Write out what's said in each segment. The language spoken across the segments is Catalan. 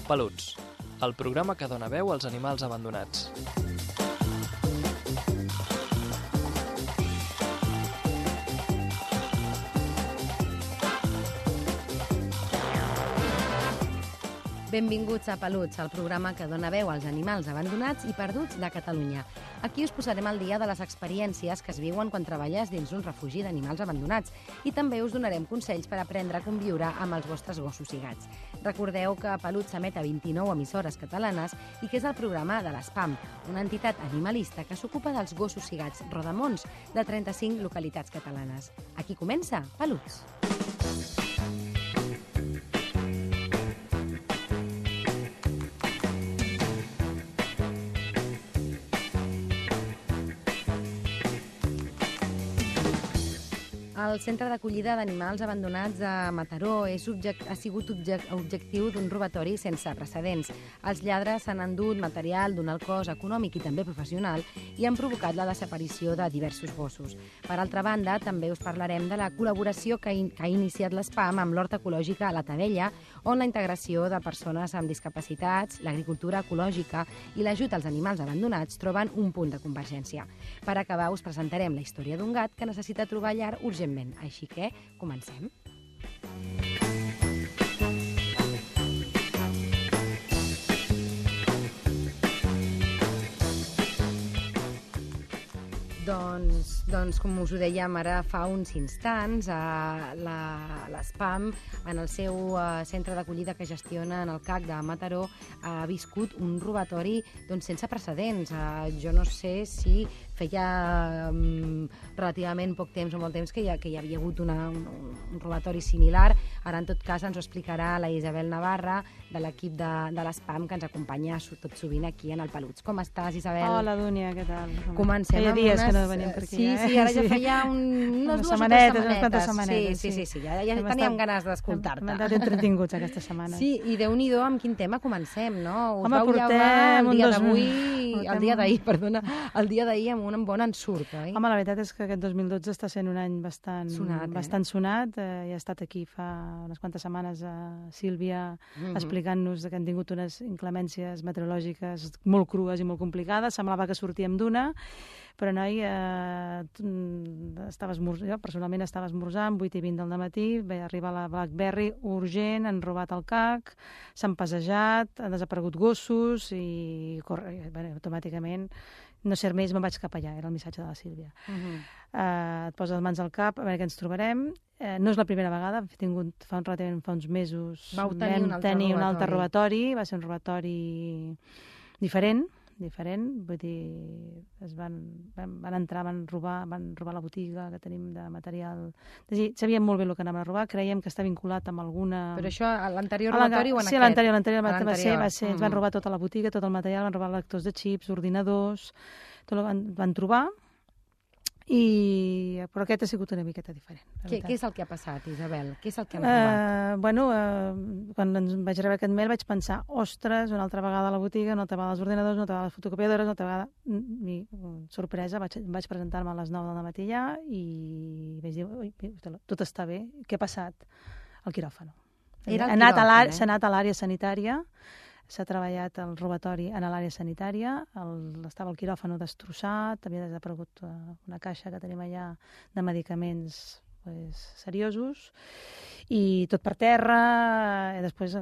Peluts, el programa que dona veu als animals abandonats. Benvinguts a Peluts, el programa que dona veu als animals abandonats i perduts de Catalunya. Aquí us posarem al dia de les experiències que es viuen quan treballes dins un refugi d'animals abandonats i també us donarem consells per aprendre a conviure amb els vostres gossos i gats. Recordeu que Peluts s'emet a 29 emissores catalanes i que és el programa de l'ESPAM, una entitat animalista que s'ocupa dels gossos i gats rodamons de 35 localitats catalanes. Aquí comença Peluts. El Centre d'Acollida d'Animals Abandonats de Mataró ha sigut objectiu d'un robatori sense precedents. Els lladres s'han endut material d'un alt cost econòmic i també professional i han provocat la desaparició de diversos gossos. Per altra banda, també us parlarem de la col·laboració que ha iniciat l'ESPAM amb l'Hort Ecològica a la Tavella, on la integració de persones amb discapacitats, l'agricultura ecològica i l'ajut als animals abandonats troben un punt de convergència. Per acabar, us presentarem la història d'un gat que necessita trobar llar urgentment. Així que, comencem. Doncs, com us ho dèiem ara fa uns instants, l'ESPAM, en el seu centre d'acollida que gestiona en el CAC de Mataró, ha viscut un robatori sense precedents. Jo no sé si feia relativament poc temps o molt temps que hi havia hagut un robatori similar. Ara, en tot cas, ens ho explicarà la Isabel Navarra, de l'equip de l'ESPAM, que ens acompanya tot sovint aquí en el Peluts. Com estàs, Isabel? Hola, Dúnia, què tal? Comencem amb dies que no venim per aquí. Sí, ara ja feia unes dues o tres setmanetes. Sí, ja teníem ganes d'escoltar-te. Hem estat entretinguts aquesta setmana. Sí, i Déu-n'hi-do amb quin tema comencem, no? Home, portem el dia d'ahir amb un bon ensurt, oi? Home, la veritat és que aquest 2012 està sent un any bastant sonat. Ja ha estat aquí fa unes quantes setmanes Sílvia explicant-nos que han tingut unes inclemències meteorològiques molt crues i molt complicades. Semblava que sortíem d'una, però noi, jo personalment estava esmorzant, 8:20 del matí, ve arribar la Blackberry urgent, han robat el CAC, s'han passejat, han desaparegut gossos i automàticament, no ser més, me'n vaig cap allà, era el missatge de la Sílvia. Et poses les mans al cap, a veure què ens trobarem. No és la primera vegada, fa uns mesos vam tenir un altre robatori, va ser un robatori diferent, vull dir, van entrar, van robar la botiga que tenim de material. És a dir, sabíem molt bé el que anaven a robar, creiem que està vinculat amb alguna... Però això, a l'anterior robatori o en aquest? Sí, l'anterior va ser, ens van robar tota la botiga, tot el material, van robar lectors de xips, ordinadors, tot van trobar, però aquest ha sigut una miqueta diferent. Què és el que ha passat, Isabel? Què és el que han robat? Quan vaig rebre aquest mail vaig pensar, ostres, una altra vegada a la botiga, una altra vegada als ordinadors, una altra vegada a les fotocopiadores, una altra vegada... Sorpresa, vaig presentar-me a les 9 del matí ja i vaig dir, tot està bé, què ha passat? El quiròfano. S'ha anat a l'àrea sanitària, s'ha treballat el robatori en l'àrea sanitària, estava el quiròfano destrossat, havia desaparegut una caixa que tenim allà de medicaments seriosos, i tot per terra, i després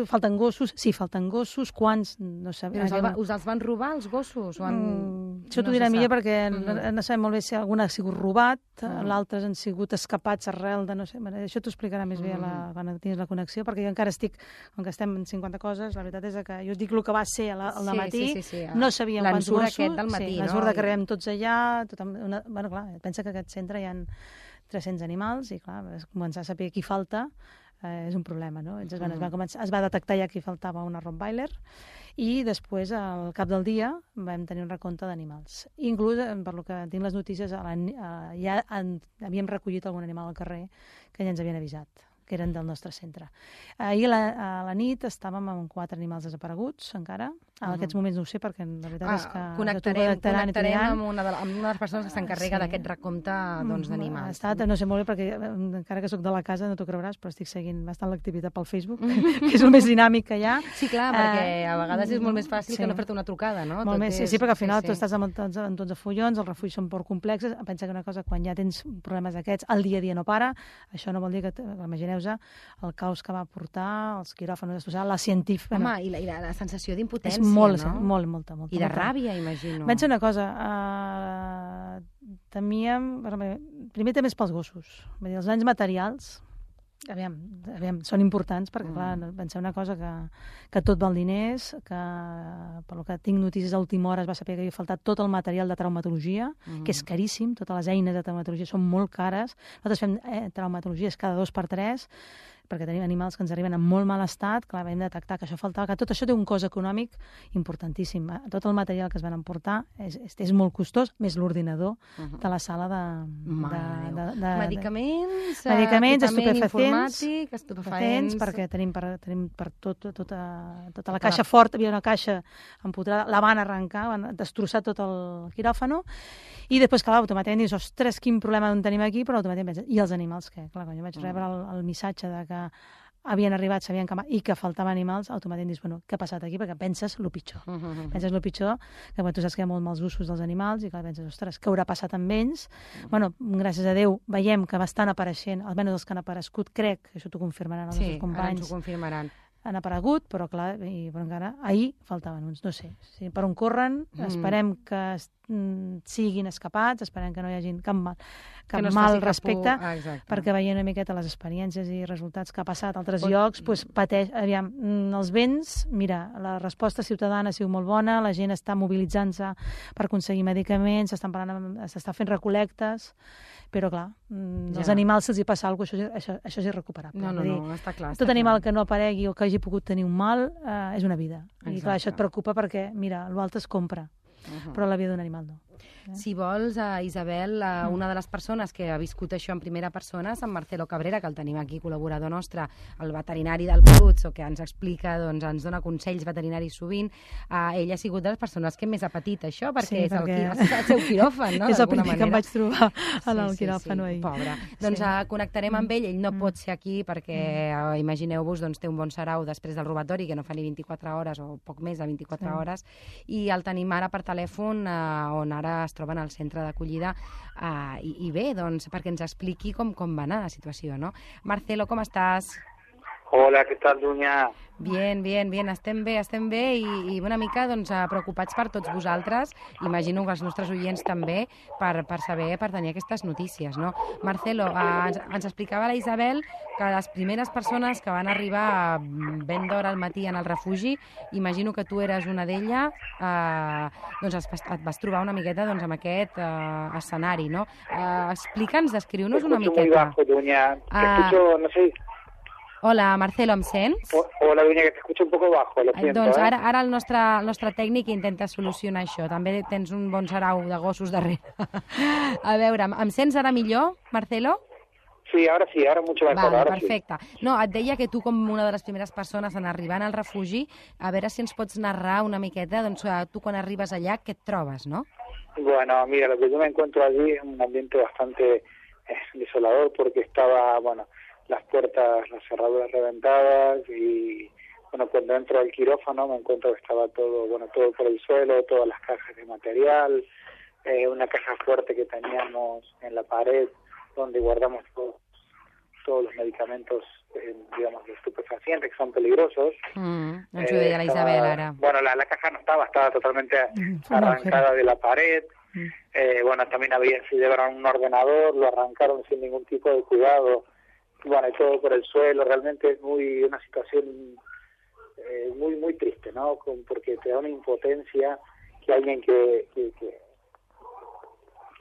falten gossos, quants, no sabem. Us els van robar, els gossos? Això t'ho dirà millor perquè no sabem molt bé si algun ha sigut robat, l'altres han sigut escapats arrel de no sé, això t'ho explicarà més bé quan tinguis la connexió, perquè jo encara estic, com que estem en 50 coses, la veritat és que jo us dic el que va ser al matí, no sabíem quants gossos, l'ensurt que arribem tots allà, bueno, clar, pensa que aquest centre hi ha 300 animals i, clar, començar a saber qui falta és un problema, no? Es va detectar ja que faltava una Rottweiler i després, al cap del dia, vam tenir un recompte d'animals. Inclús, per lo que tinc les notícies, ja havíem recollit algun animal al carrer que ja ens havien avisat, que eren del nostre centre. Ahir a la nit estàvem amb 4 animals desapareguts, encara, En aquests moments no ho sé, perquè la veritat és que... Connectarem amb una de les persones que s'encarrega d'aquest recompte d'animals. No sé molt bé, perquè encara que sóc de la casa, no t'ho creuràs, però estic seguint bastant l'activitat pel Facebook, que és el més dinàmic que hi ha. Sí, clar, perquè a vegades és molt més fàcil que no fer-te una trucada, no? Molt més, sí, perquè al final tu estàs amb tots els follons, els refugis són poc complexes, pensa que una cosa, quan ja tens problemes d'aquests, el dia a dia no para, això no vol dir que, imagineu-vos, el caos que va portar, els quiròfans, la científica... Home, i la sensació d'impotència, molta. I de ràbia, imagino. Vaig dir una cosa, temíem... Primer també és pels gossos. Els danys materials, aviam, són importants, perquè, clar, penseu una cosa, que tot val diners, que, pel que tinc notícies a última hora, es va saber que havia faltat tot el material de traumatologia, que és caríssim, totes les eines de traumatologia són molt cares. Nosaltres fem traumatologies cada 2 per 3, perquè tenim animals que ens arriben en molt mal estat, clar, vam detectar que això faltava, que tot això té un cost econòmic importantíssim. Tot el material que es van emportar és molt costós, més l'ordinador de la sala de medicaments, equipament estupefaents, perquè tenim per tota la caixa forta, hi havia una caixa empotrada, la van arrencar, van destrossar tot el quiròfano, i després, clar, automàticament dius, ostres, quin problema en tenim aquí, però automàticament penses, i els animals què? Clar, quan jo vaig rebre el missatge de que havien arribat, s'havien camat i que faltaven animals, automàticament dius, bueno, què ha passat aquí? Perquè penses el pitjor. Penses el pitjor, que tu saps que hi ha molt mals usos dels animals i que penses, ostres, què haurà passat amb ells? Bueno, gràcies a Déu, veiem que estan apareixent, almenys els que han aparegut, crec, això t'ho confirmaran els nostres companys. Sí, ara ens ho confirmaran. Han aparegut, però clar, però encara ahir faltaven uns, no sé, per on corren, esperem que siguin escapats, esperem que no hi hagi cap mal respecte, perquè veient una miqueta les experiències i resultats que ha passat a altres llocs, pateix, aviam, els vents, mira, la resposta ciutadana ha sigut molt bona, la gent està mobilitzant-se per aconseguir medicaments, s'està fent recol·lectes, però clar, els animals se'ls hi passa alguna cosa, això és irrecuperable. No, està clar. Tot animal que no aparegui o que hagi pogut tenir un mal és una vida. I clar, això et preocupa perquè, mira, l'altre es compra, però la vida d'un animal no. Si vols, Isabel, una de les persones que ha viscut això en primera persona és en Marcelo Cabrera, que el tenim aquí, col·laborador nostre, el veterinari del Peluts, que ens explica, ens dona consells veterinaris sovint. Ell ha sigut de les persones que més ha patit això, perquè és el seu quiròfan, no? És el primer que em vaig trobar en el quiròfan ahir. Pobre. Doncs connectarem amb ell no pot ser aquí perquè, imagineu-vos, té un bon sarau després del robatori, que no fa ni 24 hores o poc més de 24 hores, i el tenim ara per telèfon, on ara es troben al centre d'acollida, i bé, doncs, perquè ens expliqui com va anar la situació, no? Marcelo, com estàs? Hola, què tal, Dunya? Bien, estem bé i una mica preocupats per tots vosaltres, imagino que els nostres oients també, per tenir aquestes notícies, no? Marcelo, ens explicava la Isabel que les primeres persones que van arribar ben d'hora al matí en el refugi, imagino que tu eres una d'elles, et vas trobar una miqueta amb aquest escenari, no? Explica'ns, descriu-nos una miqueta. Muy bajo, Dunya. Te escucho, no sé... Hola, Marcelo, em sents? Hola, Dunya, que t'escucho un poco bajo, lo siento. Doncs ara el nostre tècnic intenta solucionar això. També tens un bon sarau de gossos darrere. A veure, em sents ara millor, Marcelo? Sí, ahora mucho mejor. Vale, perfecte. No, et deia que tu, com una de les primeres persones en arribar al refugi, a veure si ens pots narrar una miqueta, tu quan arribes allà, què et trobes, no? Bueno, mira, lo que yo me encuentro allí es un ambiente bastante desolador, porque estaba, las puertas, las cerraduras reventadas, y cuando entro al quirófano me encuentro que estaba todo por el suelo, todas las cajas de material, una caja fuerte que teníamos en la pared donde guardamos todos los medicamentos, digamos, de estupefacientes, que son peligrosos. Ens ho deia la Isabel ara. Bueno, la caja no estaba totalmente arrancada de la pared. También se llevaron un ordenador, lo arrancaron sin ningún tipo de cuidado. Bueno, y todo por el suelo. Realmente es una situación muy, muy triste, ¿no? Porque te da una impotencia que alguien que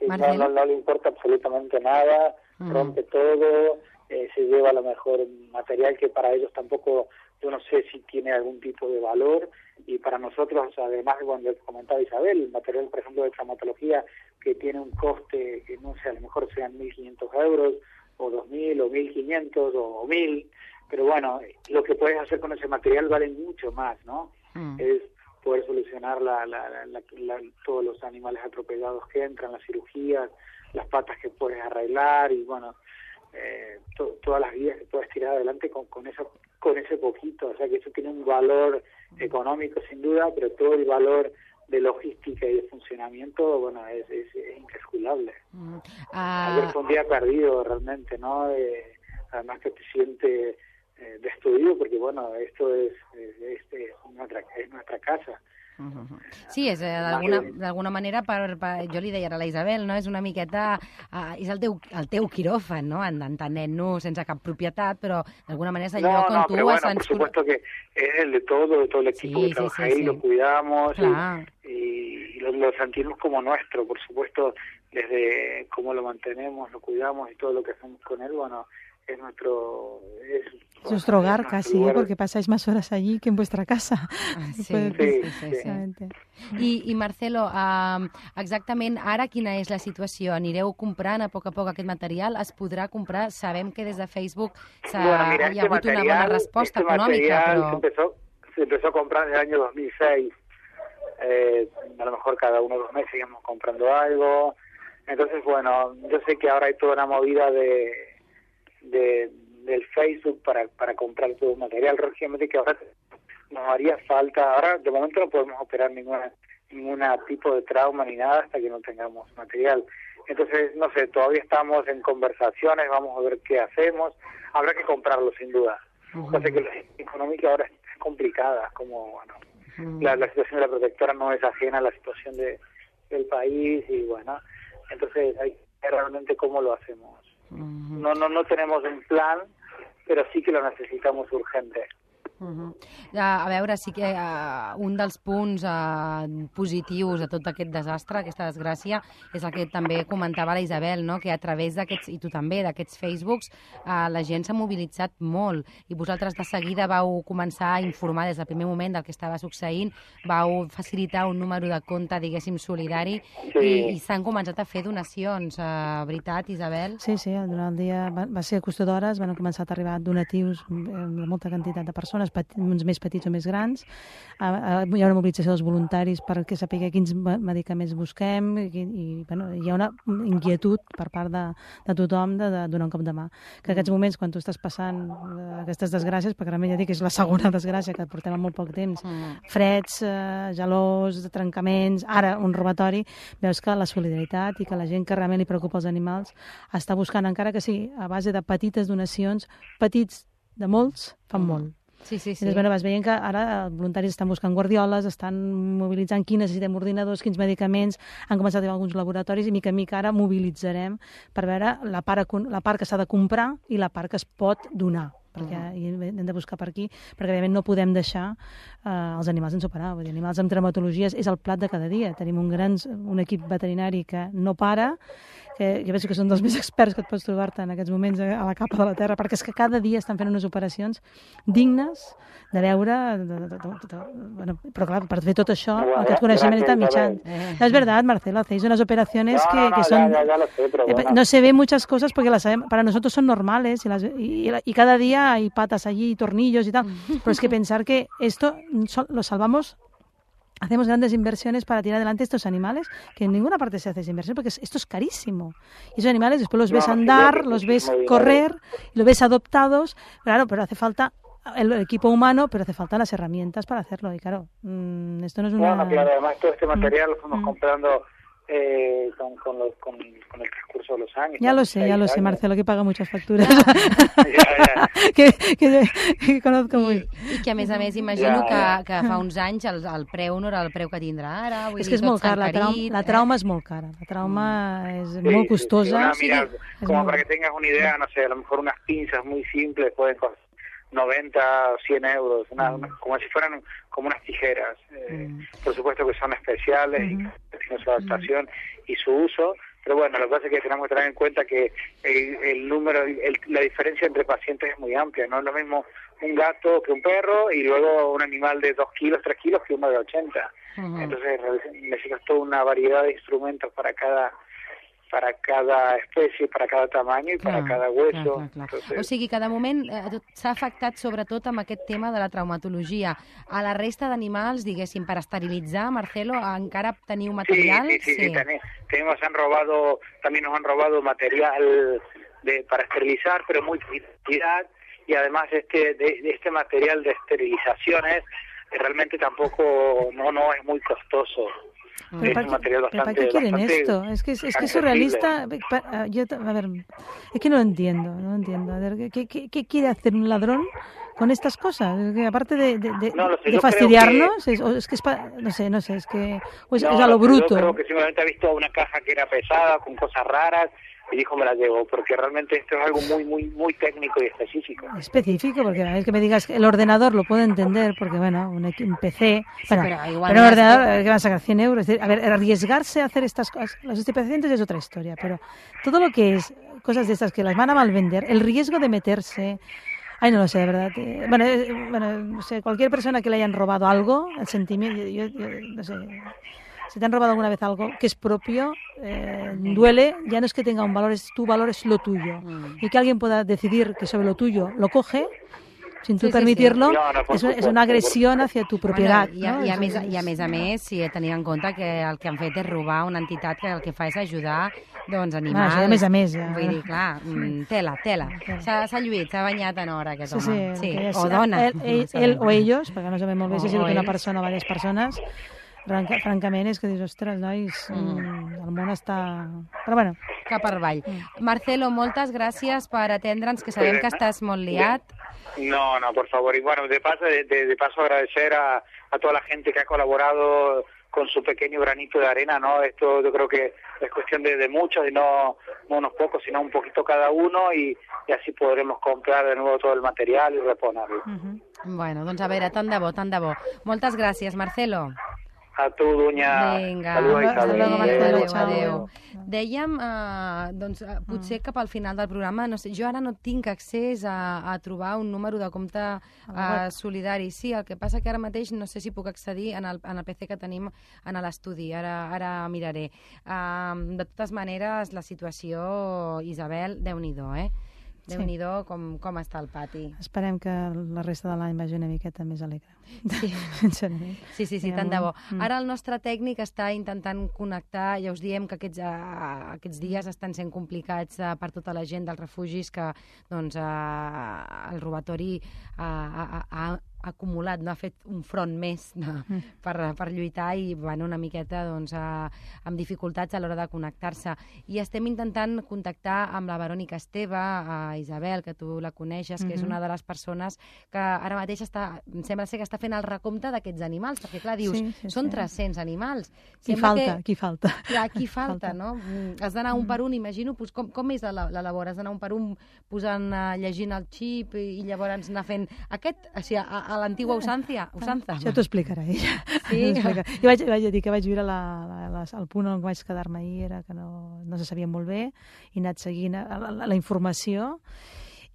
no le importa absolutamente nada, rompe todo, se lleva a lo mejor material que para ellos tampoco, yo no sé si tiene algún tipo de valor, y para nosotros, además, cuando comentaba Isabel, el material, por ejemplo, de traumatología, que tiene un coste, que no sé, a lo mejor sean 1.500 euros, o 2.000, o 1.500, o 1.000, pero bueno, lo que puedes hacer con ese material vale mucho más, ¿no? Es poder solucionar todos los animales atropellados que entran, las cirugías, las patas que puedes arreglar y bueno, todas las vías que puedes tirar adelante con ese poquito. O sea que eso tiene un valor económico sin duda, pero todo el valor de logística y de funcionamiento, bueno, es incalculable. Ayer fue un día perdido realmente, ¿no? Además que te sientes destruido porque, bueno, esto es nuestra casa. Sí, és d'alguna manera, jo li deia a la Isabel, no? És una miqueta, és el teu quiròfan, no? Entenent-nos sense cap propietat, però d'alguna manera és el lloc on tu has... por supuesto que es el de todo el equipo que trabaja ahí, lo cuidamos y lo sentimos como nuestro, por supuesto, desde cómo lo mantenemos, lo cuidamos y todo lo que hacemos con él, bueno, es nuestro hogar casi, porque pasáis más horas allí que en vuestra casa. Sí. I Marcelo, exactament ara quina és la situació? Anireu comprant a poc aquest material? Es podrà comprar? Sabem que des de Facebook hi ha hagut una bona resposta econòmica, però... Se empezó a comprar en el año 2006. A lo mejor cada 1 o 2 meses íbamos comprando algo. Entonces, bueno, yo sé que ahora hay toda una movida del Facebook para comprar todo el material. Lógicamente que ahora nos haría falta, ahora de momento no podemos operar ninguna tipo de trauma ni nada hasta que no tengamos material. Entonces, no sé, todavía estamos en conversaciones, vamos a ver qué hacemos. Habrá que comprarlo sin duda. O sea que la económica ahora es complicada, como bueno, la situación de la protectora no es ajena a la situación del país y bueno, entonces hay que ver realmente cómo lo hacemos. No tenemos un plan, pero sí que lo necesitamos urgente. A veure, sí que un dels punts positius de tot aquest desastre, aquesta desgràcia, és el que també comentava la Isabel, no? Que a través d'aquests, i tu també, d'aquests Facebooks, la gent s'ha mobilitzat molt i vosaltres de seguida vau començar a informar des del primer moment del que estava succeint, vau facilitar un número de compte, diguéssim, solidari i s'han començat a fer donacions, veritat, Isabel? Sí, durant el dia va ser a qüestió d'hores, van començar a arribar donatius de molta quantitat de persones, uns més petits o més grans. Hi ha una mobilització dels voluntaris perquè sapiguem quins medicaments busquem i bueno, hi ha una inquietud per part de tothom de donar un cop de mà. Que en aquests moments, quan tu estàs passant aquestes desgràcies, perquè realment ja dic que és la segona desgràcia que portem en molt poc temps, freds, gelors, trencaments, ara un robatori, veus que la solidaritat i que la gent que realment li preocupa els animals està buscant, encara que sigui a base de petites donacions, petits de molts, fan molt. Sí. Llavors, bueno, vas veient que ara els voluntaris estan buscant guardioles, estan mobilitzant qui necessitem ordinadors, quins medicaments, han començat a arribar alguns laboratoris i mica en mica ara mobilitzarem per veure la part que s'ha de comprar i la part que es pot donar, perquè hem de buscar per aquí, perquè evidentment no podem deixar els animals sense operar. Vull dir, animals amb traumatologies és el plat de cada dia. Tenim un equip veterinari que no para, que jo penso que són dels més experts que et pots trobar-te en aquests moments a la capa de la terra, perquè és que cada dia estan fent unes operacions dignes de veure... Bueno, però clar, per fer tot això, aquest coneixement està mitjans. No, es verdad, Marcelo, hacéis unas operaciones que son... Ya lo sé, pero bueno. No se ven muchas cosas porque las sabemos, para nosotros son normales y cada día hay patas allí, tornillos y tal, pero es que pensar que esto lo salvamos. Hacemos grandes inversiones para tirar adelante estos animales, que en ninguna parte se hace esa inversión, porque esto es carísimo. Y esos animales después los ves andar, los ves correr, los ves adoptados, claro, pero hace falta el equipo humano, pero hace falta las herramientas para hacerlo. Y claro, esto no es una... Bueno, claro, además todo este material lo fuimos comprando con el transcurso de los años. Ya lo sé, Marcelo, que paga muchas facturas. que conozco muy. I que, a més, imagino que fa uns anys el preu no era el preu que tindrà ara. És que és molt car, la trauma és molt cara. La trauma és molt costosa. Mira, como para que tengas una idea, no sé, a lo mejor unas pinzas muy simples pueden costar 90 o 100 euros, como si fueran como unas tijeras. Por supuesto que son especiales y que tienen su adaptación y su uso, pero bueno, lo que pasa es que tenemos que tener en cuenta que el número, la diferencia entre pacientes es muy amplia. No es lo mismo un gato que un perro y luego un animal de 2 kilos, 3 kilos que uno de 80. Entonces necesitas toda una variedad de instrumentos para cada para cada especie, para cada tamaño y para cada hueso. Clar. O sigui que de moment s'ha afectat sobretot amb aquest tema de la traumatologia. A la resta d'animals, diguéssim, per esterilitzar, Marcelo, encara teniu material? Sí. También nos han robado material para esterilizar, pero muy cantidad, y además este material de esterilizaciones realmente tampoco no es muy costoso. Es un material ¿Para qué quieren esto? Es que es surrealista. Es que no lo entiendo. A ver, ¿qué quiere hacer un ladrón con estas cosas? Que aparte de fastidiarnos, no sé, es que es a lo bruto. Yo creo que simplemente ha visto una caja que era pesada, con cosas raras, y dijo me la llevo, porque realmente esto es algo muy técnico y específico. Específico, porque a vez que me digas que el ordenador lo puedo entender, porque bueno, un PC, sí, pero un ordenador que van a sacar 100 euros. Es decir, a ver, arriesgarse a hacer estas cosas, los estupefacientes es otra historia, pero todo lo que es cosas de estas que las van a malvender, el riesgo de meterse... Ay, no lo sé, de verdad. No sé, cualquier persona que le hayan robado algo, el sentimiento, yo no sé... Si te han robado alguna vez algo que es propio, duele, ya no es que tenga un valor, es tu valor, es lo tuyo. Y que alguien pueda decidir que sobre lo tuyo lo coge, sin tu permitirlo, és una agressió hacia tu propietat. I a més, si tenim en compte que el que han fet és robar una entitat que el que fa és ajudar animals. A més, ja. Vull dir, clar, tela. S'ha lluït, s'ha banyat en hora aquest home. Sí. O dona. Ell o ells, perquè no sabem molt bé si ha sigut una persona o diverses persones. Francament és que dius, ostres, nois, el món està... Però bueno. Cap per avall. Marcelo, moltes gràcies per atendre'ns, que sabem que estàs molt liat. No, por favor. Y bueno, de paso agradecer a toda la gente que ha colaborado con su pequeño granito de arena, ¿no? Esto yo creo que es cuestión de muchos y no unos pocos, sino un poquito cada uno y así podremos comprar de nuevo todo el material y reponerlo. Bueno, doncs a veure, tant de bo. Moltes gràcies, Marcelo. A tu, Dunya. Vinga, adéu. Dèiem, potser cap al final del programa, no sé, jo ara no tinc accés a trobar un número de compte solidari. Sí, el que passa que ara mateix no sé si puc accedir en el PC que tenim en l'estudi, ara miraré. De totes maneres, la situació, Isabel, Déu-n'hi-do, Déu-n'hi-do com està el pati. Esperem que la resta de l'any vagi una miqueta més alegre. Sí, tant de bo. Ara el nostre tècnic està intentant connectar, ja us diem que aquests dies estan sent complicats per tota la gent dels refugis, que el robatori ha acumulat, no ha fet un front més per lluitar i van una miqueta amb dificultats a l'hora de connectar-se. I estem intentant contactar amb la Verònica Esteve, Isabel, que tu la coneixes, que és una de les persones que ara mateix sembla ser que està fent el recompte d'aquests animals, perquè clar, dius, són 300 animals. Qui falta? Clar, qui falta, no? Has d'anar un per un, imagino, com és la labor? Has d'anar un per un llegint el xip i llavors anar fent aquest, o sigui, a l'antigua usança. Això t'ho explicarà ella. Sí. Jo vaig dir que vaig viure el punt on vaig quedar-me ahir, era que no se sabia molt bé, i he anat seguint la informació,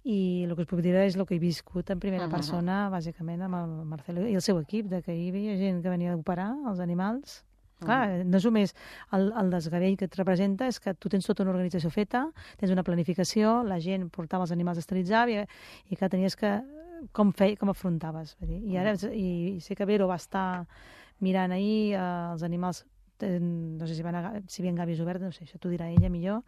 i el que us puc dir és el que he viscut en primera persona, bàsicament, amb el Marcelo i el seu equip, que hi havia gent que venia a operar els animals. Clar, no és només el desgavell que et representa, és que tu tens tota una organització feta, tens una planificació, la gent portava els animals a esterilitzar i que tenies que... com afrontaves. I sé que Vero va estar mirant ahir els animals, no sé si hi havia gàbies obertes, no sé, això t'ho dirà ella millor,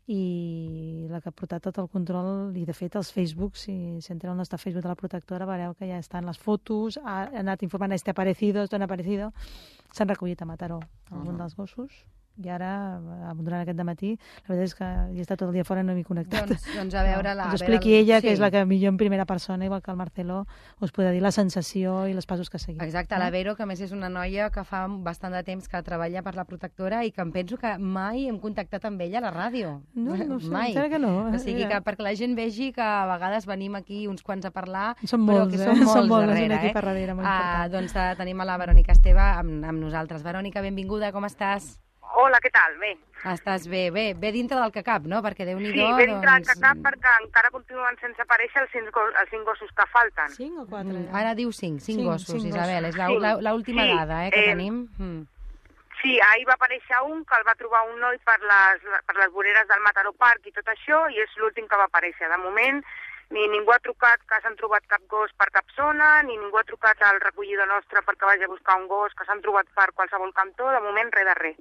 i la que ha portat tot el control, i de fet els Facebook, si entreu al nostre Facebook de la protectora, veureu que ja estan les fotos, ha anat informant esto ha aparecido, s'han recollit a Mataró algun dels gossos, i ara, durant aquest dematí, la veritat és que he estat tot el dia fora i no m'he connectat. Doncs a veure... Us expliqui ella, que és la que millor en primera persona, igual que el Marcelo, us podrà dir la sensació i els passos que seguim. Exacte, la Vero, que a més és una noia que fa bastant de temps que treballa per la protectora i que em penso que mai hem contactat amb ella a la ràdio. No sé, mai. Encara que no. O sigui, que perquè la gent vegi que a vegades venim aquí uns quants a parlar, són molts, però que són molts darrere. Aquí per darrere, molt important. Doncs tenim a la Verònica Esteve amb nosaltres. Verònica, benvinguda, com estàs? Hola, què tal? Bé. Estàs bé, bé dintre del que cap, no? Perquè Déu-n'hi-do... Sí, bé dintre del que cap, perquè encara continuen sense aparèixer els 5 gossos que falten. 5 o 4? Ara diu 5 gossos, Isabel. És l'última dada que tenim. Sí, ahir va aparèixer un que el va trobar un noi per les voreres del Mataró Park i tot això, i és l'últim que va aparèixer. De moment, ni ningú ha trucat que s'han trobat cap gos per cap zona, ni ningú ha trucat al recollidor nostre perquè vagi a buscar un gos que s'han trobat per qualsevol cantó. De moment, res de res.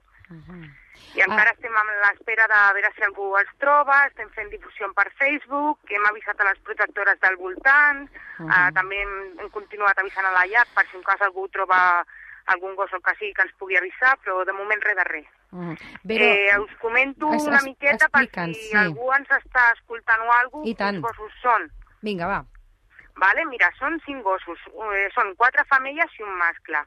I encara estem a l'espera de veure si algú els troba, estem fent difusió per Facebook, hem avisat a les protectores del voltant, també hem continuat avisant a la llar per si en cas algú troba algun gos o que sigui que ens pugui avisar, però de moment res de res. Us comento una miqueta per si algú ens està escoltant o alguna cosa, quins gossos són. Vinga, va. Vale, mira, són 5 gossos, són 4 femelles i un mascle.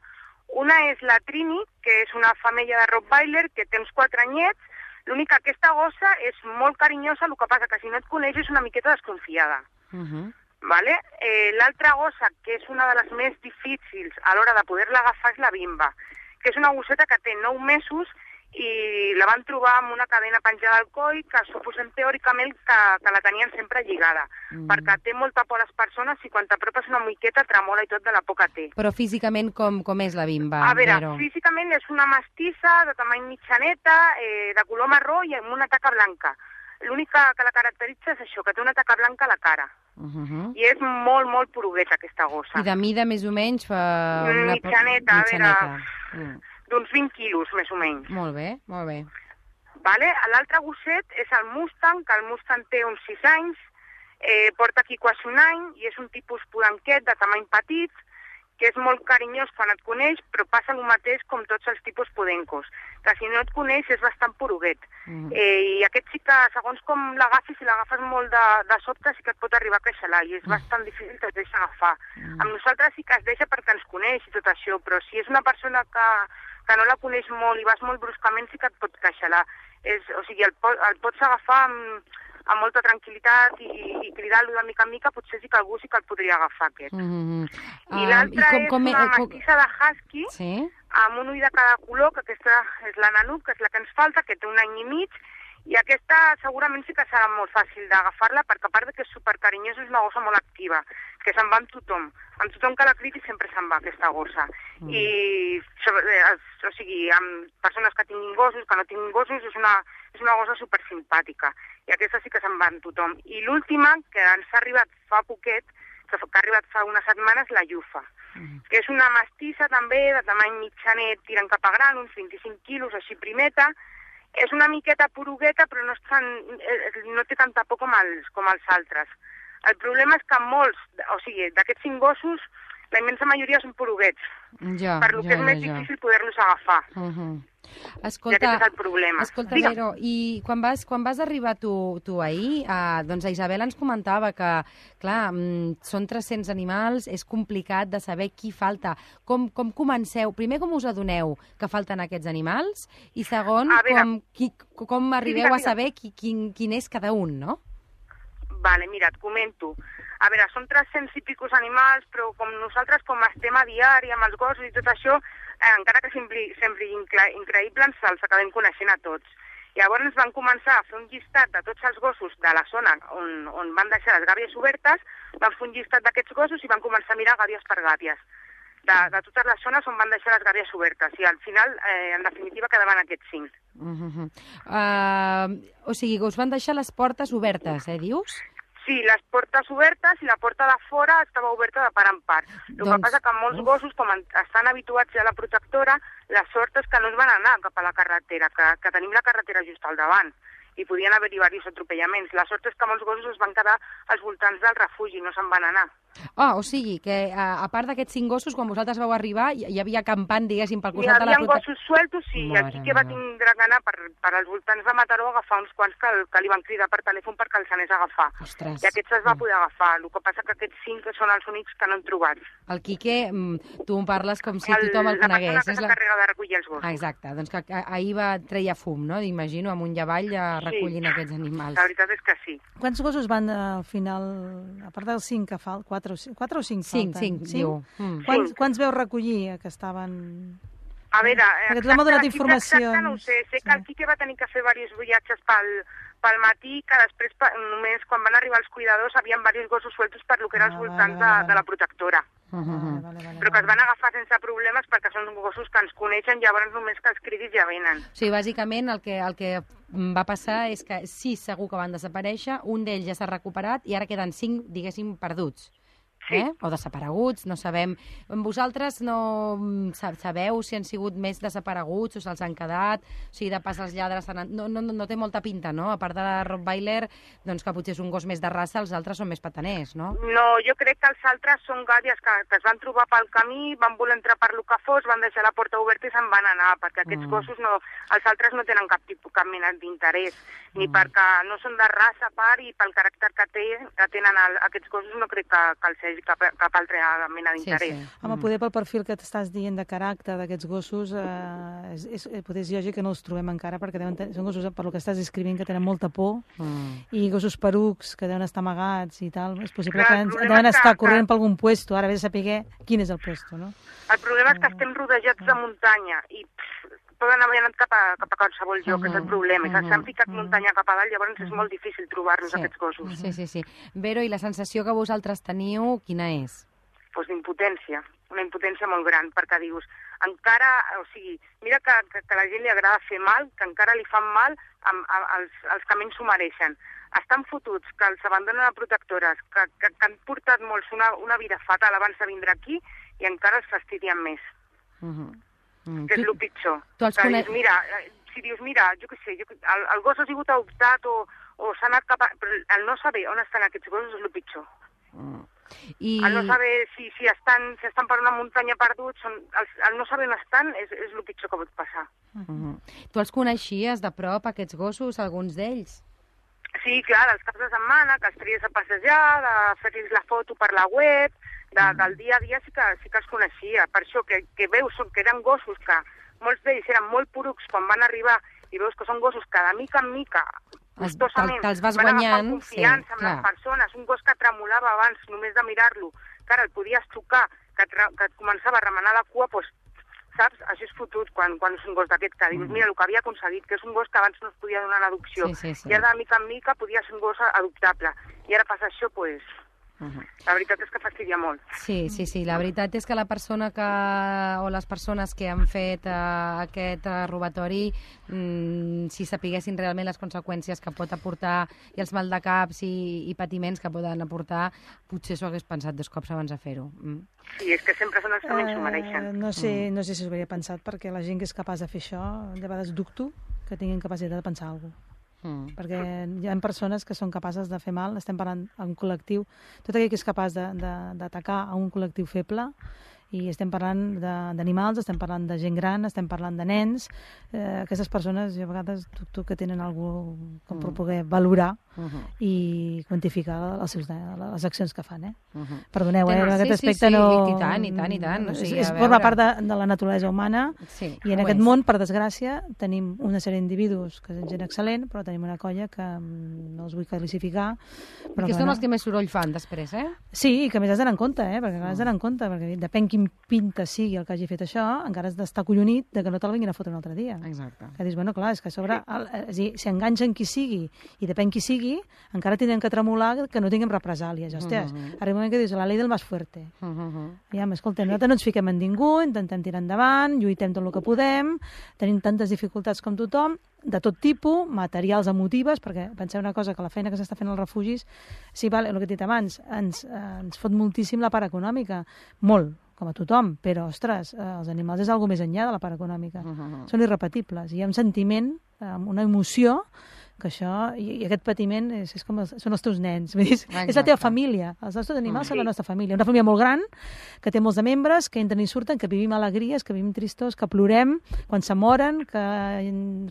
Una és la Trini, que és una femella de Rottweiler, que té uns 4 anyets. L'únic que aquesta gossa és molt carinyosa, el que passa que si no et coneix és una miqueta desconfiada. Vale? L'altra gossa, que és una de les més difícils a l'hora de poder-la agafar, és la Bimba, que és una gosseta que té 9 mesos i la van trobar amb una cadena penjada al coll que suposem teòricament que la tenien sempre lligada, perquè té molta por a les persones i quan t'apropes una miqueta tremola i tot de la por que té. Però físicament com és la Bimba? A veure, físicament és una mestissa de tamany mitjaneta, de color marró i amb una taca blanca. L'únic que la caracteritza és això, que té una taca blanca a la cara. I és molt, molt porugueta, aquesta gossa. I de mida més o menys fa... Mitjaneta, a veure... d'uns 20 quilos, més o menys. Molt bé, molt bé. Vale? L'altre gosset és el Mustang, que el Mustang té uns 6 anys, porta aquí quasi un any, i és un tipus podenquet de tamany petit, que és molt carinyós quan et coneix, però passa el mateix com tots els tipus podencos, que si no et coneix és bastant poruguet. I aquest sí que, segons com l'agafis, si l'agafes molt de sobte, sí que et pot arribar a queixalar, i és bastant difícil que es deixi agafar. Amb nosaltres sí que es deixa perquè ens coneix i tot això, però si és una persona que no la coneix molt i vas molt bruscament, sí que et pot queixalar. O sigui, el pots agafar amb molta tranquil·litat i cridar-lo de mica en mica, potser sí que algú sí que el podria agafar, aquest. I l'altra és una mestissa de husky, amb un ull de cada color, que aquesta és la Nanook, que és la que ens falta, que té un any i mig, i aquesta segurament sí que serà molt fàcil d'agafar-la, perquè a part que és supercarinyosa, és una gossa molt activa, que se'n va amb tothom. Amb tothom que la cridi sempre se'n va, aquesta gossa. I, o sigui, amb persones que tinguin gossos, que no tinguin gossos, és una gossa supersimpàtica. I aquesta sí que se'n va amb tothom. I l'última, que ens ha arribat fa poquet, que ha arribat fa unes setmanes, la Yufa, que és una mestissa també, de tamany mitjanet, tirant cap a gran, uns 25 quilos, així primeta. És una miqueta porugueta, però no té tanta por com els altres. El problema és que molts, o sigui, d'aquests 5 gossos, la immensa majoria són poruguets, per lo que és més difícil poder-los agafar. Escolta, i aquest és el problema. Escolta, Vero, i quan vas arribar tu ahir, doncs la Isabel ens comentava que, clar, són 300 animals, és complicat de saber qui falta. Com comenceu? Primer, com us adoneu que falten aquests animals? I segon, com arribeu a saber quin és cada un, no? Vale, mira, et comento. A veure, són 300 i picos animals, però com nosaltres com estem a diari amb els gossos i tot això, encara que sembli increïble, ens els acabem coneixent a tots. Llavors van començar a fer un llistat de tots els gossos de la zona on van deixar les gàbies obertes, van fer un llistat d'aquests gossos i van començar a mirar gàbies per gàbies, de totes les zones on van deixar les gàbies obertes. I al final, en definitiva, quedaven aquests 5. O sigui, us van deixar les portes obertes, dius? Sí, les portes obertes i la porta de fora estava oberta de part en part. El que passa que molts gossos, com estan habituats ja a la protectora, la sort és que no es van anar cap a la carretera, que tenim la carretera just al davant, i podien haver-hi diversos atropellaments. La sort és que molts gossos es van quedar als voltants del refugi, no se'n van anar. O sigui, que a part d'aquests 5 gossos, quan vosaltres vau arribar, hi havia campant, diguéssim, pel costat de la protectora. Hi havia gossos sueltos, sí, i el Quique va tindre que anar per als voltants de Mataró a agafar uns quants que li van cridar per telèfon perquè els anés a agafar. Ostres. I aquests es va poder agafar. El que passa que aquests 5 són els únics que no han trobat. El Quique, tu en parles com si tothom el conegués. La persona que s'encarrega de recollir els gossos. Exacte, doncs que ahir treia fum, no? Imagino, amunt i avall recollint aquests animals. La veritat és que sí. Quants gossos van al final, a part dels 5 que falten, 4 o 5 falten? 5, diu. Quants veu recollir que estaven... A veure, perquè tothom ha donat informació. No ho sé, sé que el Quique va tenir que fer diversos viatges pel matí, que després, només quan van arribar els cuidadors, havien diversos gossos sueltos per lo que era els voltants de la protectora. Però que es van agafar sense problemes perquè són gossos que ens coneixen, llavors només que els cridis ja venen. O sigui, bàsicament el que va passar és que 6 segur que van desaparèixer, un d'ells ja s'ha recuperat i ara queden 5, diguéssim, perduts. O desapareguts, no sabem. Vosaltres no sabeu si han sigut més desapareguts o se'ls han quedat, o sigui, de pas els lladres no té molta pinta, no? A part de la Rottweiler, doncs que potser és un gos més de raça, els altres són més pataners, no? No, jo crec que els altres són gàbies que es van trobar pel camí, van voler entrar per lo que fos, van deixar la porta oberta i se'n van anar, perquè aquests gossos els altres no tenen cap mena d'interès, ni perquè no són de raça a part i pel caràcter que tenen aquests gossos no crec que els hagi cap altra mena d'interès. Home, poder pel perfil que t'estàs dient de caràcter d'aquests gossos, potser és lògic que no els trobem encara, perquè són gossos, per lo que estàs descrivint, que tenen molta por, i gossos perucs que deuen estar amagats i tal. És possible que deuen estar corrent per algun puesto, ara ve de saber quin és el puesto, no? El problema és que estem rodejats de muntanya i poden haver anat cap a qualsevol lloc, és el problema. S'han ficat muntanya cap a dalt, llavors és molt difícil trobar-los, aquests gossos. Sí. Vero, i la sensació que vosaltres teniu, quina és? Doncs d'impotència, una impotència molt gran, perquè dius, encara, o sigui, mira que a la gent li agrada fer mal, que encara li fan mal als que menys s'ho mereixen. Estan fotuts, que els abandonen a protectores, que han portat molts una vida fatal abans de vindre aquí i encara els fastidien més. Que és el pitjor. Si dius, mira, jo què sé, el gos ha sigut adoptat o s'ha anat cap a... Però el no saber on estan aquests gossos és el pitjor. El no saber si estan per una muntanya perduts, el no saber on estan és el pitjor que pot passar. Tu els coneixies de prop, aquests gossos, alguns d'ells? Sí, clar, els caps de setmana, que els tries a passejar, de fer-los la foto per la web, del dia a dia sí que els coneixia. Per això que veus que eren gossos que molts d'ells eren molt porucs quan van arribar i veus que són gossos que de mica en mica gustosament van agafar confiança amb les persones. Un gos que tremolava abans només de mirar-lo, que ara el podies tocar, que et començava a remenar la cua, doncs, saps? Això és fotut quan és un gos d'aquest que dius, mira el que havia aconseguit, que és un gos que abans no es podia donar en adopció. I ara de mica en mica podia ser un gos adoptable. I ara passa això, doncs... La veritat és que fastidia molt. Sí. La veritat és que la persona o les persones que han fet aquest robatori, si sapiguessin realment les conseqüències que pot aportar i els maldecaps i patiments que poden aportar, potser s'ho hagués pensat 2 cops abans de fer-ho. Sí, és que sempre són els que menys s'ho mereixen. No sé si s'ho hauria pensat, perquè la gent que és capaç de fer això, de vegades dubto que tinguin capacitat de pensar alguna cosa. Perquè hi ha persones que són capaces de fer mal, estem parlant d'un col·lectiu, tot aquell que és capaç d'atacar a un col·lectiu feble, i estem parlant d'animals, estem parlant de gent gran, estem parlant de nens, aquestes persones jo a vegades dubto que tenen alguna cosa com per poder valorar i quantificar les accions que fan. Perdoneu, en aquest aspecte no... I tant. Forma part de la naturalesa humana i en aquest món, per desgràcia, tenim una sèrie d'individus que és gent excel·lent, però tenim una colla que no els vull classificar. Que són els que més soroll fan després, Sí, i que més has d'anar en compte, perquè depèn quin pinta sigui el que hagi fet això, encara has d'estar collonit de que no te'l vinguin a fotre un altre dia. Exacte. Que dius, bueno, clar, és que a sobre, si enganxen qui sigui i depèn qui sigui, encara tindrem que tremolar que no tinguem represàlies. Hòsties, arriba un moment que dius, la llei del més fuerte. Escolta, nosaltres no ens fiquem en ningú, intentem tirar endavant, lluitem tot el que podem, tenim tantes dificultats com tothom, de tot tipus, materials, emotives, perquè penseu una cosa, que la feina que s'està fent als refugis, sí, vale, el que he dit abans, ens fot moltíssim la part econòmica, molt, com a tothom, però, ostres, els animals és alguna més enllà de la part econòmica. Són irrepetibles. Hi ha un sentiment, una emoció, que això, i aquest patiment són els teus nens, és la teva família. Els nostres animals són la nostra família. Una família molt gran, que té molts de membres, que entren i surten, que vivim alegries, que vivim tristors, que plorem quan se moren, que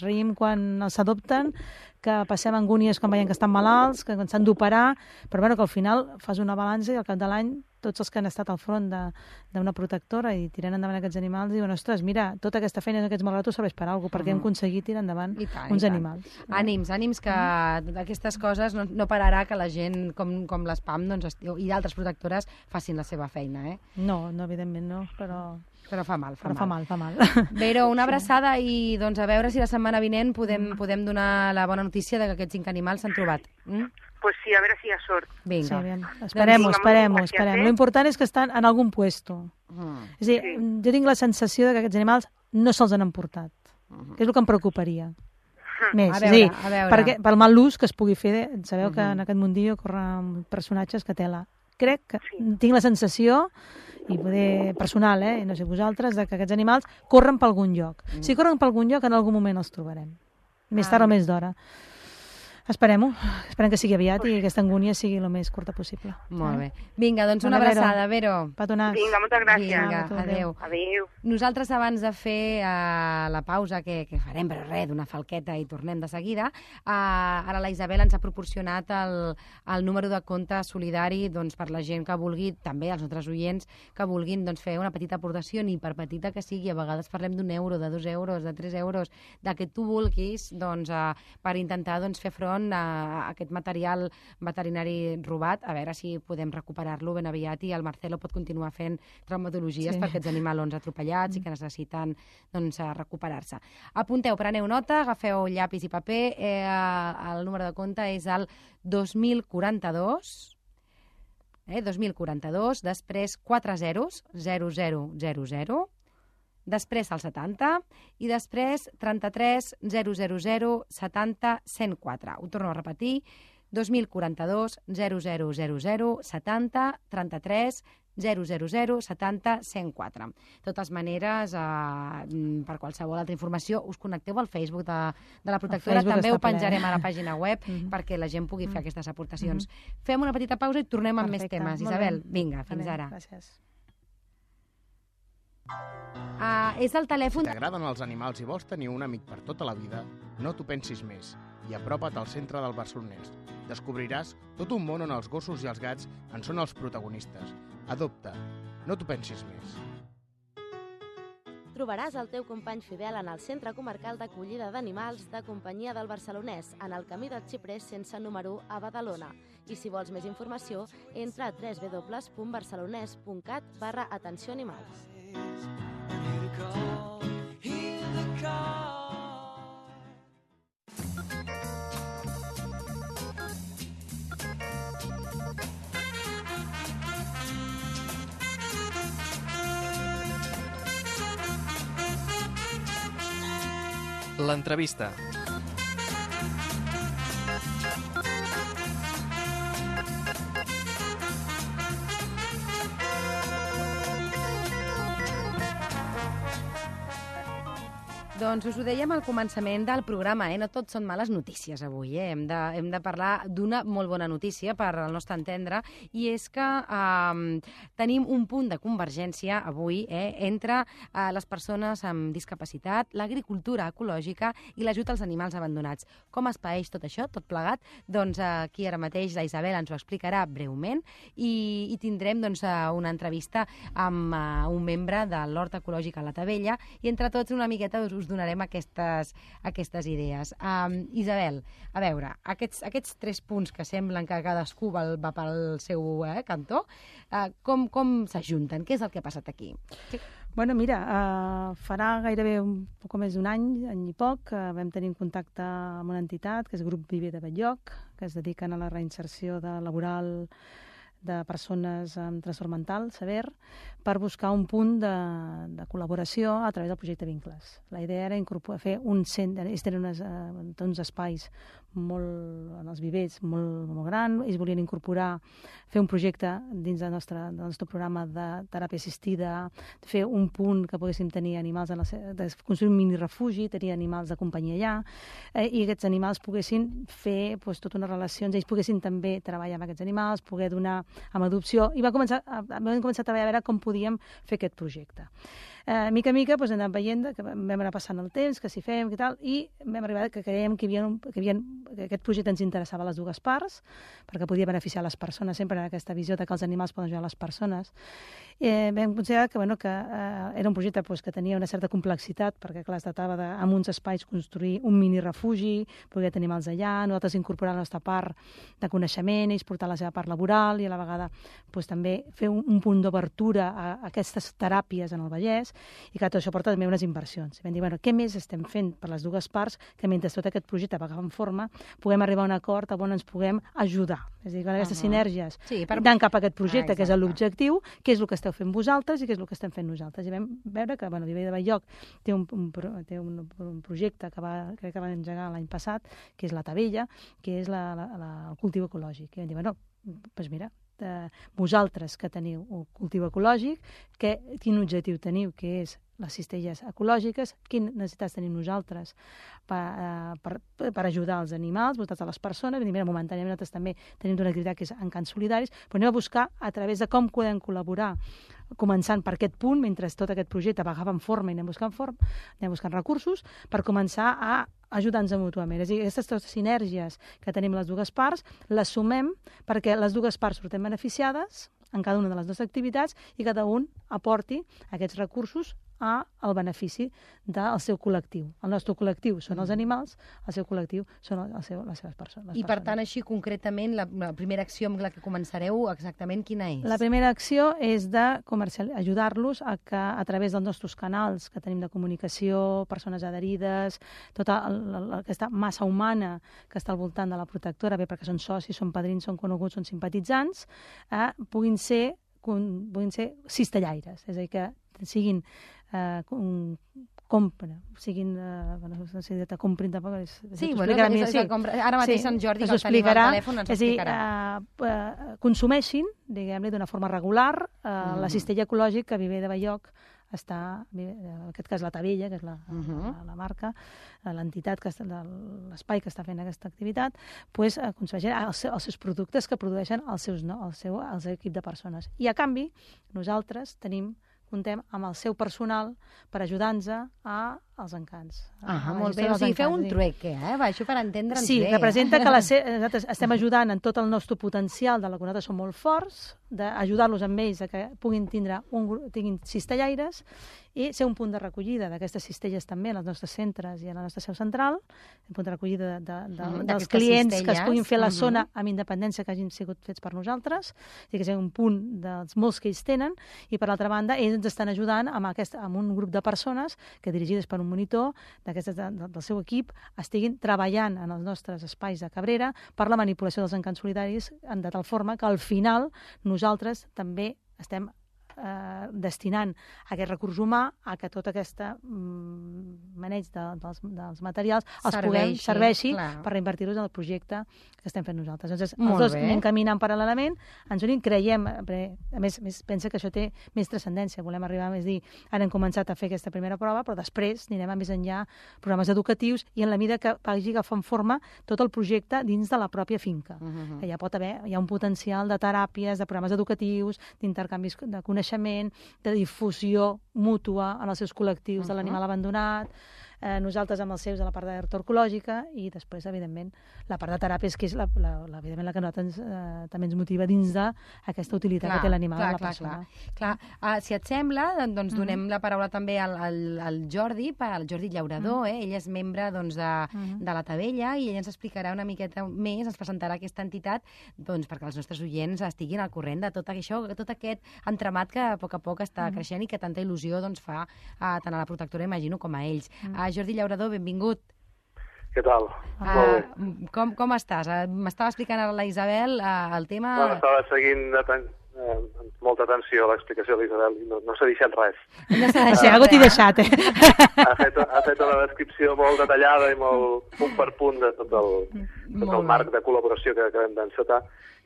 reïm quan els adopten, que passem angúnies quan veiem que estan malalts, que s'han d'operar, però bueno, que al final fas una balança i al cap de l'any tots els que han estat al front d'una protectora i tirant endavant aquests animals diuen, ostres, mira, tota aquesta feina d'aquests malgratos serveix per alguna cosa, perquè hem aconseguit tirar endavant uns animals. Ànims, que d'aquestes coses no pararà que la gent com l'ESPAM i d'altres protectores facin la seva feina, No, evidentment no, però Però fa mal, Però fa mal. Vero, una abraçada i doncs a veure si la setmana vinent podem donar la bona notícia de que aquests 5 animals s'han trobat. Pues sí, a veure si hi ha sort. Vinga. Sí, bien. Esperem. gràcies, Lo important és que estan en algun puesto. És a dir, jo tinc la sensació de que aquests animals no se'ls han emportat. Que és el que em preocuparia. Més, A veure. perquè pel mal ús que es pugui fer, sabeu que en aquest mundillo corren personatges que tela. Crec que tinc la sensació, i poder personal, i no sé vosaltres, de que aquests animals corren per algun lloc. Si corren per algun lloc, en algun moment els trobarem. Més tard o més d'hora. Esperem que sigui aviat i aquesta angúnia sigui el més curta possible. Molt bé. Vinga, doncs una abraçada, Vero. Petonats. Vinga, moltes gràcies. Vinga, adéu. Adéu. Nosaltres, abans de fer la pausa que farem, però res, d'una falqueta i tornem de seguida, ara la Isabel ens ha proporcionat el número de compte solidari doncs, per la gent que vulgui, també els nostres oients, que vulguin doncs, fer una petita aportació, ni per petita que sigui, a vegades parlem d'1 euro, de 2 euros, de 3 euros, del que tu vulguis, doncs, per intentar doncs, fer front a aquest material veterinari robat, a veure si podem recuperar-lo ben aviat i el Marcelo pot continuar fent traumatologies per aquests animalons atropellats i que necessiten doncs, recuperar-se. Apunteu, preneu nota, agafeu llapis i paper, el número de compte és el 2042, 2042, després 4 zeros, 0000, després el 70 i després 33 000 70 104. Ho torno a repetir, 2042 0000 70 33 000 70 104. De totes maneres, per qualsevol altra informació, us connecteu al Facebook de la Protectora. També ho penjarem a la pàgina web perquè la gent pugui fer aquestes aportacions. Fem una petita pausa i tornem amb més temes. Isabel, vinga, fins ara. Gràcies. És el telèfon... Si t'agraden els animals i vols tenir un amic per tota la vida, no t'ho pensis més i apropa't al centre del Barcelonès. Descobriràs tot un món on els gossos i els gats en són els protagonistes. Adopta, no t'ho pensis més. Trobaràs el teu company fidel en el Centre Comarcal d'Acollida d'Animals de Companyia del Barcelonès, en el camí del Xiprés sense número a Badalona. I si vols més informació, entra a www.barcelonès.cat/atenció-animals. L'entrevista. Doncs us ho dèiem al començament del programa, no tot són males notícies avui. Hem de parlar d'una molt bona notícia per al nostre entendre, i és que tenim un punt de convergència avui entre les persones amb discapacitat, l'agricultura ecològica i l'ajut als animals abandonats. Com es paeix tot això, tot plegat? Doncs aquí ara mateix la Isabel ens ho explicarà breument i tindrem doncs, una entrevista amb un membre de l'Hort Ecològic a la Tavella i entre tots una miqueta us donarem aquestes idees. Isabel, a veure, aquests 3 punts que semblen que cadascú va pel seu cantó, com s'ajunten? Què és el que ha passat aquí? Bueno, mira, farà gairebé un poc més d'un any i poc, vam tenir un contacte amb una entitat, que és Grup Viver de Batllloc, que es dediquen a la reinserció laboral de persones amb trastorn mental sever, per buscar un punt de col·laboració a través del projecte Vincles. La idea era fer un centre, ells tenen uns espais en els vivers molt grans, ells volien fer un projecte dins del nostre programa de teràpia assistida, fer un punt que poguéssim tenir animals, construir un mini refugi, tenir animals de companyia allà, i aquests animals poguessin fer tota una relació, ells poguessin també treballar amb aquests animals, poder donar amb adopció, i vam començar a treballar a veure com podíem fer aquest projecte. mica en mica hem anat veient que vam anar passant el temps, que s'hi fem i tal, i vam arribar que creiem que aquest projecte ens interessava a les dues parts, perquè podia beneficiar les persones, sempre en aquesta visió que els animals poden ajudar les persones. Vam considerar que era un projecte que tenia una certa complexitat, perquè clar, es tractava en uns espais construir un mini refugi, poder tenir animals allà, nosaltres incorporar la nostra part de coneixement, ells portar la seva part laboral i a la vegada també fer un punt d'obertura a aquestes teràpies en el Vallès, i que tot això porta també unes inversions. I vam dir, què més estem fent per les dues parts que mentre tot aquest projecte va agafant forma puguem arribar a un acord on ens puguem ajudar. És a dir, aquestes sinergies anant cap a aquest projecte, que és l'objectiu, què és el que esteu fent vosaltres i què és el que estem fent nosaltres. I vam veure que Viver de Bell-lloc té un projecte que crec que va engegar l'any passat, que és la Tavella, que és el cultiu ecològic. I vam dir, doncs mira, vosaltres que teniu un cultiu ecològic, quin objectiu teniu, que és les cistelles ecològiques, quines necessitats tenim nosaltres per ajudar els animals, vosaltres a les persones. Mira, momentàniament nosaltres també tenim una activitat que és Encants Solidaris, però anem a buscar a través de com podem col·laborar, començant per aquest punt, mentre tot aquest projecte va agafant forma i anem buscant recursos, per començar a ajudar-nos mútuament. És a dir, aquestes sinergies que tenim les dues parts, les sumem perquè les dues parts surten beneficiades en cada una de les nostres activitats i cada un aporti aquests recursos al benefici del seu col·lectiu. El nostre col·lectiu són els animals, el seu col·lectiu són les seves persones. I per tant, així concretament, la primera acció amb la que començareu exactament quina és? La primera acció és ajudar-los a través dels nostres canals que tenim de comunicació, persones adherides, tota aquesta massa humana que està al voltant de la protectora, bé perquè són socis, són padrins, són coneguts, són simpatitzants, puguin ser cistellaires, és a dir, que siguin compren tampoc... Sí, ara mateix en Jordi, que el tenim al telèfon, ens ho explicarà. És a dir, consumeixin, diguem-ne, d'una forma regular, la cistella ecològica que Viver de Bell-lloc està, en aquest cas la Tavella, que és la marca, l'entitat, l'espai que està fent aquesta activitat, consumeixen els seus productes que produeixen el seu equip de persones. I a canvi, nosaltres comptem amb el seu personal per ajudar-nos als encants. Molt bé, o sigui, feu un trueque, això per entendre'ns bé. Sí, representa que nosaltres estem ajudant en tot el nostre potencial, de la que nosaltres som molt forts, d'ajudar-los amb ells a que tinguin cistellaires i ser un punt de recollida d'aquestes cistelles també en els nostres centres i en la nostra seu central, un punt de recollida dels clients que es puguin fer a la zona amb independència que hagin sigut fets per nosaltres, i que sigui un punt dels molts que ells tenen, i per l'altra banda ells ens estan ajudant amb un grup de persones que dirigides per un monitor del seu equip estiguin treballant en els nostres espais de Cabrera per la manipulació dels encants solidaris de tal forma que al final nosaltres també estem destinant aquest recurs humà a que tot aquest maneig dels materials serveixi per reinvertir-los en el projecte que estem fent nosaltres. Llavors, els dos anem caminant paral·lelament, ens unim, creiem, a més pensa que això té més transcendència, volem arribar, és dir, ara hem començat a fer aquesta primera prova, però després anirem a més enllà, programes educatius, i en la mida que vagi agafant forma tot el projecte dins de la pròpia finca. Que hi ha un potencial de teràpies, de programes educatius, d'intercanvis de coneixement, de difusió mútua en els seus col·lectius de l'animal abandonat, nosaltres amb els seus de la part d'hertorcològica, i després, evidentment, la part de teràpies, que és evidentment la que nosaltres també ens motiva dins d'aquesta utilitat que té l'animal a la persona. Clar. Si et sembla, doncs donem la paraula també al Jordi, el Jordi Llaurador, ell és membre de la Tavella, i ell ens explicarà una miqueta més, ens presentarà aquesta entitat perquè els nostres oients estiguin al corrent de tot això, tot aquest entramat que a poc està creixent i que tanta il·lusió fa tant a la protectora, imagino, com a ells. Jordi Llaurador, benvingut. Què tal? Com estàs? M'estava explicant ara la Isabel el tema... Estava seguint amb molta atenció l'explicació de l'Isabel i no s'ha deixat res. No s'ha deixat, algú t'hi deixat, Ha fet una descripció molt detallada i molt punt per punt de tot el marc de col·laboració que acabem d'encetar.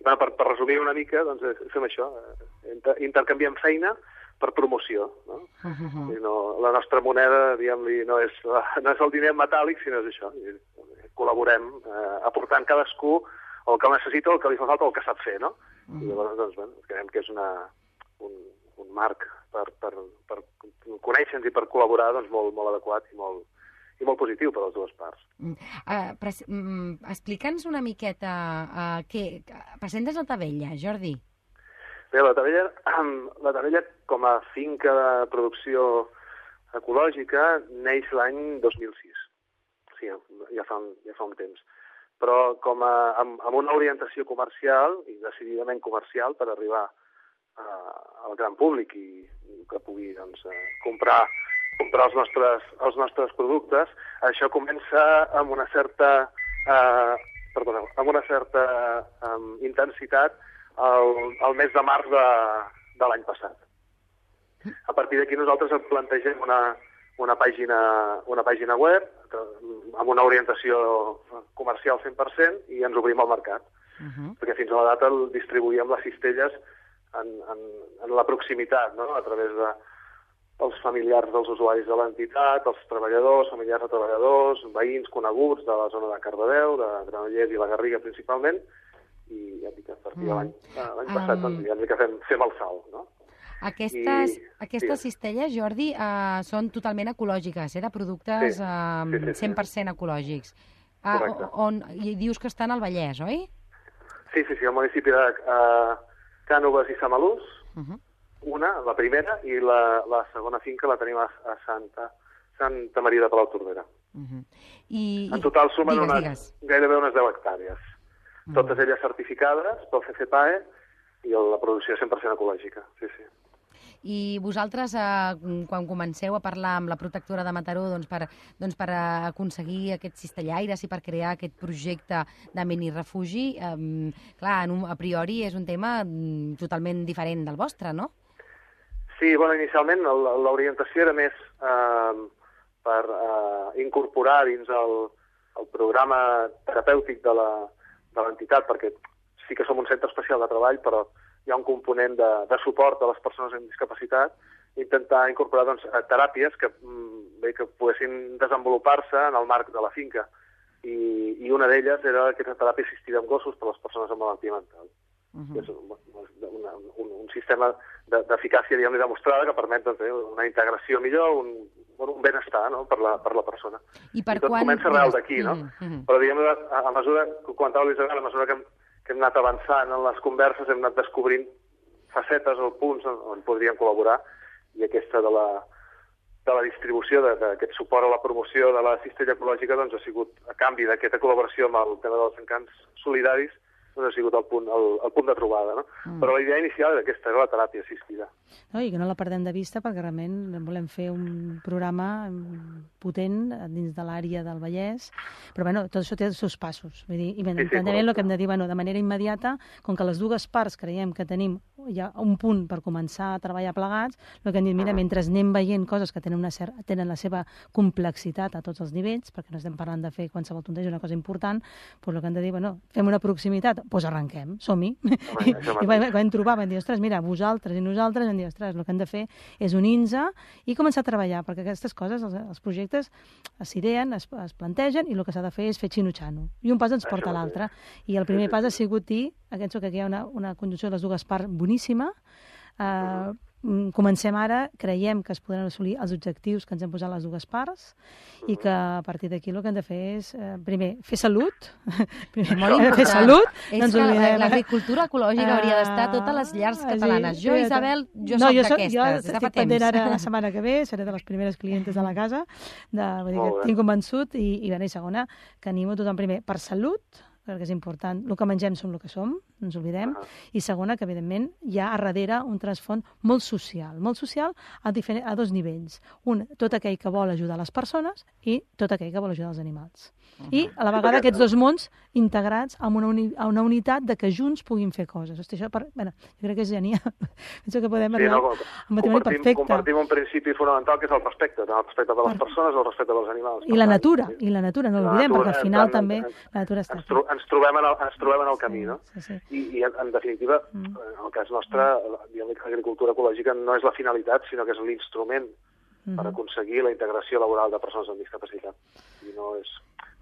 Per resumir una mica, doncs fem això, intercanviem feina per promoció. La nostra moneda, diguem-li, no és el diner metàl·lic, sinó és això. Col·laborem aportant cadascú el que necessita, el que li fa falta, el que sap fer, no? I llavors, doncs, creiem que és un marc per conèixer-nos i per col·laborar doncs, molt adequat i molt positiu per a les dues parts. Explica'ns una miqueta presentes a Tavella, Jordi. Bé, la Tavella, com a finca de producció ecològica, neix l'any 2006. Sí, ja fa un temps. Però amb una orientació comercial, i decididament comercial, per arribar al gran públic i que pugui comprar els nostres productes. Això comença amb una certa intensitat el mes de març de l'any passat. A partir d'aquí nosaltres plantegem una pàgina web amb una orientació comercial 100% i ens obrim al mercat. Perquè fins a la data el distribuïem les cistelles en la proximitat, no? A través dels familiars dels usuaris de l'entitat, els treballadors, familiars de treballadors, veïns coneguts de la zona de Cardedeu, de Granollers i la Garriga principalment, i ja dic que a partir de l'any passat ja dic que fem el salt, no? Aquestes cistelles, Jordi, són totalment ecològiques, de productes 100% ecològics. I dius que estan al Vallès, oi? Sí, al municipi de Cànoves i Samalús, la primera, i la segona finca la tenim a Santa Maria de Palautordera. En total sumen gairebé unes 10 hectàrees. Totes elles certificades pel CCPAE i la producció 100% ecològica. Sí. I vosaltres, quan comenceu a parlar amb la protectora de Mataró per aconseguir aquests cistellaires i per crear aquest projecte de mini-refugi, clar, a priori és un tema totalment diferent del vostre, no? Sí, inicialment l'orientació era més per incorporar dins el programa terapèutic de l'entitat, perquè sí que som un centre especial de treball, però hi ha un component de suport a les persones amb discapacitat, intentar incorporar teràpies que poguessin desenvolupar-se en el marc de la finca. I una d'elles era aquesta teràpia assistida amb gossos per a les persones amb malaltia mental. És un sistema d'eficàcia demostrada que permet una integració millor, un benestar, no? per la persona. I tot comença arrel d'aquí, no? Però a mesura, com comentava l'Isabel, a mesura que hem anat avançant en les converses, hem anat descobrint facetes o punts on podríem col·laborar, i aquesta de la distribució d'aquest suport a la promoció de la cistella ecològica ha sigut, a canvi d'aquesta col·laboració amb el tema dels encants solidaris, ha sigut el punt de trobada, no? Però la idea inicial era aquesta, era la teràpia assistida. I que no la perdem de vista, perquè realment volem fer un programa potent dins de l'àrea del Vallès, però tot això té els seus passos. Vull dir, i també el que hem de dir, de manera immediata, com que les dues parts creiem que tenim ja un punt per començar a treballar plegats, el que hem dit, mira, mentre anem veient coses que tenen la seva complexitat a tots els nivells, perquè no estem parlant de fer qualsevol tonteria, és una cosa important, doncs el que hem de dir, fem una proximitat, doncs arrenquem, som-hi. I vam trobar, vam dir, ostres, mira, vosaltres i nosaltres, vam dir, ostres, el que hem de fer és unir-nos i començar a treballar, perquè aquestes coses, els projectes s'ideen, es plantegen, i el que s'ha de fer és fer xino-xano. I un pas ens porta a l'altre. I el primer pas ha sigut dir, que hi ha una conjunció de les dues parts boníssima. Comencem ara, creiem que es podran assolir els objectius que ens hem posat les dues parts i que a partir d'aquí el que hem de fer és, primer, fer salut. Fer salut. És que l'agricultura ecològica hauria d'estar a totes les llars catalanes. Jo, Isabel, soc d'aquestes. Jo estic pendent ara la setmana que ve, seré de les primeres clientes de la casa, tinc convençut, i segona, que animo tothom primer per salut, perquè és important, el que mengem som el que som, no ens oblidem, i segona, que evidentment hi ha a darrere un trasfons molt social a dos nivells. Un, tot aquell que vol ajudar les persones, i tot aquell que vol ajudar els animals. I a la vegada aquests dos mons integrats en una unitat de que junts puguin fer coses. Hosti, això, jo crec que és genial. Penso que podem arribar a un matrimoni perfecte. Compartim un principi fonamental que és el respecte, tant el respecte de les persones o el respecte dels animals. I la natura, no l'oblidem, perquè al final també la natura està aquí. Ens trobem en el camí, no? I en definitiva, en el cas nostre, l'agricultura ecològica no és la finalitat, sinó que és l'instrument per aconseguir la integració laboral de persones amb discapacitat. I no és